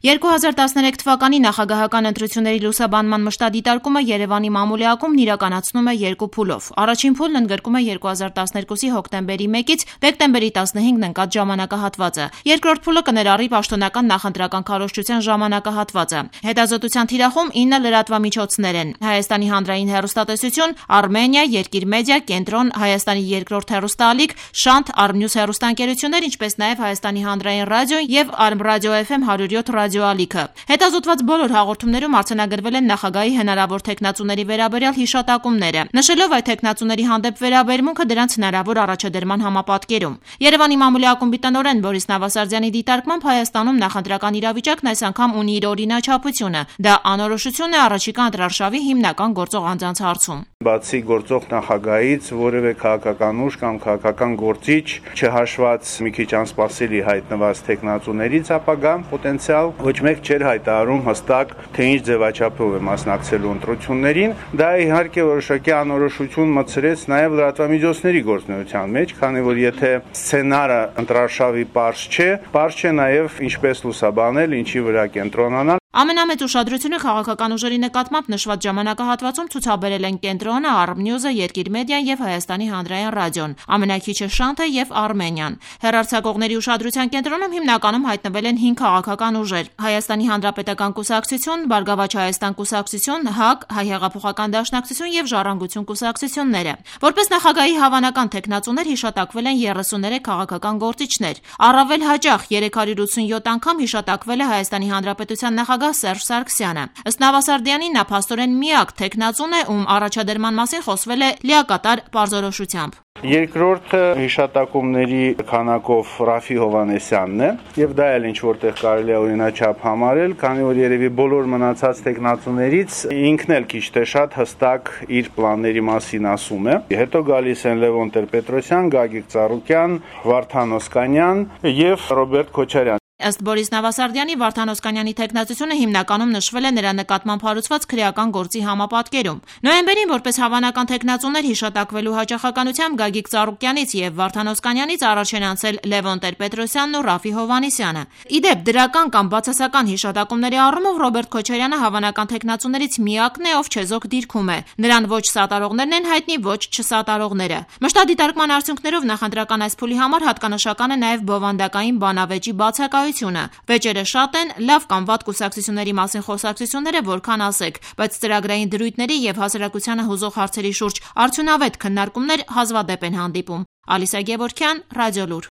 2013 թվականի նախագահական ընտրությունների լուսաբանման մշտադիտարկումը Երևանի մամուլի ակումբն իրականացնում է երկու փուլով։ Առաջին փուլն ընդգրկում է 2012-ի հոկտեմբերի 1-ից դեկտեմբերի 15-ն ընկած ժամանակահատվածը։ Երկրորդ փուլը կներառի պաշտոնական նախընտրական քարոզչության ժամանակահատվածը։ Հետազոտության թիրախում 9 լրատվամիջոցներ են՝ Հայաստանի հանրային հեռուստատեսություն, Արմենիա, Երկիր մեդիա, Կենտրոն, Հայաստանի երկրորդ հեռուստաալիք, Շանթ, Արմնյուզ հեռուստաընկերություններ, ինչպես նաև Հայաստանի հանրային ռադիո եւ Արմրադիո FM 107 ռադիոալիքը։ Հետազոտված բոլոր հաղորդումներում արձանագրվել են նախագահի հնարավոր թեկնածուների վերաբերյալ հիշատակումները, նշելով այդ թեկնածուների հանդեպ վերաբերմունքը դրանց հնարավոր առաջադրման համապատկերում։ Երևանի մամուլի ակումբի տնօրեն Բորիս Նավասարդյանի դիտարկմամբ Հայաստանում նախընտրական իրավիճակն այս անգամ ունի իր օրինաչափությունը։ Դա անորոշություն է առաջիկա ընտրարշավի հիմնական գործող անձանց հարցում։ Բացի գործող նախագահից որևէ քաղաքական ուժ կամ քաղաքական գործիչ, չհաշված մի քիչ անսպասելի հայտնված թեկնածուներից ապագա պոտենցիալ ոչ մեկ չէր հայտարարում հստակ, թե ինչ ձևաչափով է մասնակցելու ընտրություններին։ Դա իհարկե որոշակի անորոշություն մտցրեց նաև լրատվամիջոցների գործունեության մեջ, քանի որ եթե սցենարը ընտրարշավի պարզ չէ նաև ինչպես լուսաբանել, ինչի վրա կենտրոնանալ։ Ամենամեծ ուշադրությունը քաղաքական ուժերի նկատմամբ նշված ժամանակահատվածում ցուցաբերել են Կենտրոնը, Արմնյուզը, Երկիր մեդիան եւ Հայաստանի հանրային ռադիոն, ամենաքիչը Շանթը եւ Արմենիան։ Հեռարձակողների ուշադրության կենտրոնում հիմնականում հայտնվել են 5 քաղաքական ուժեր՝ Հայաստանի հանրապետական կուսակցություն, Բարգավաճ Հայաստան կուսակցություն, ՀԱԿ, Հայ հեղափոխական դաշնակցություն եւ Ժառանգություն կուսակցությունները։ Որպես նախագահի հավանական թեկնածուներ հիշատակվել են 33 քաղաքական գործիչներ։ Առավել հաճախ 387 անգամ հիշատակվել է Հայաստանի հանրապետության նախագահ Սերժ Սարգսյանը։ Ըստ Նավասարդյանի, նա փաստորեն միակ թեկնածուն է, ում առաջադրման մասին խոսվել է լիակատար պարզորոշությամբ։ Երկրորդը հիշատակումների քանակով Ռաֆի Հովհաննեսյանն է, եւ դա էլ ինչ որտեղ կարելի է օրինաչափ համարել, քանի որ երևի բոլոր մնացած տեխնացուներից ինքն էլ քիչ թե շատ հստակ իր պլանների մասին ասում է։ Հետո գալիս են Լևոն Տեր-Պետրոսյան, Գագիկ Ծառուկյան, Վարդան Օսկանյան եւ Ռոբերտ Քոչարյան։ Ըստ Բորիս Նավասարդյանի, Վարդան Օսկանյանի թեկնածությունը հիմնականում նշվել է նրա նկատմամբ հարուցված քրեական գործի համապատկերում։ Նոյեմբերին որպես հավանական թեկնածուներ հիշատակվելու հաճախականությամբ Գագիկ Ծառուկյանից եւ Վարդան Օսկանյանից առաջ են անցել Լևոն Տեր-Պետրոսյանն ու Ռաֆի Հովհաննիսյանը։ Իդեպ, դրական կամ բացասական հիշատակումների առումով Ռոբերտ Քոչարյանը հավանական թեկնածուներից միակն է, ով չեզոք դիրքում է։ Նրան ոչ սատարողներն են հայտնի, ոչ չսատարողները։ Մշտադիտարկման արդյունքներով նախընտրական այս փուլի համար հատկանշական է նաև բովանդակային բանավեճի բացակայությունը։ Վեճերը շատ են, լավ կամ վատ կուսակցությունների մասին խոսակցությունները որքան ասեք, բայց ծրագրային դրույթների եւ հասարակությանը հուզող հարցերի շուրջ արդյունավետ քննարկումներ հազվադեպ են հանդիպում։ Ալիսա Գևորգյան, Ռադիոլուր։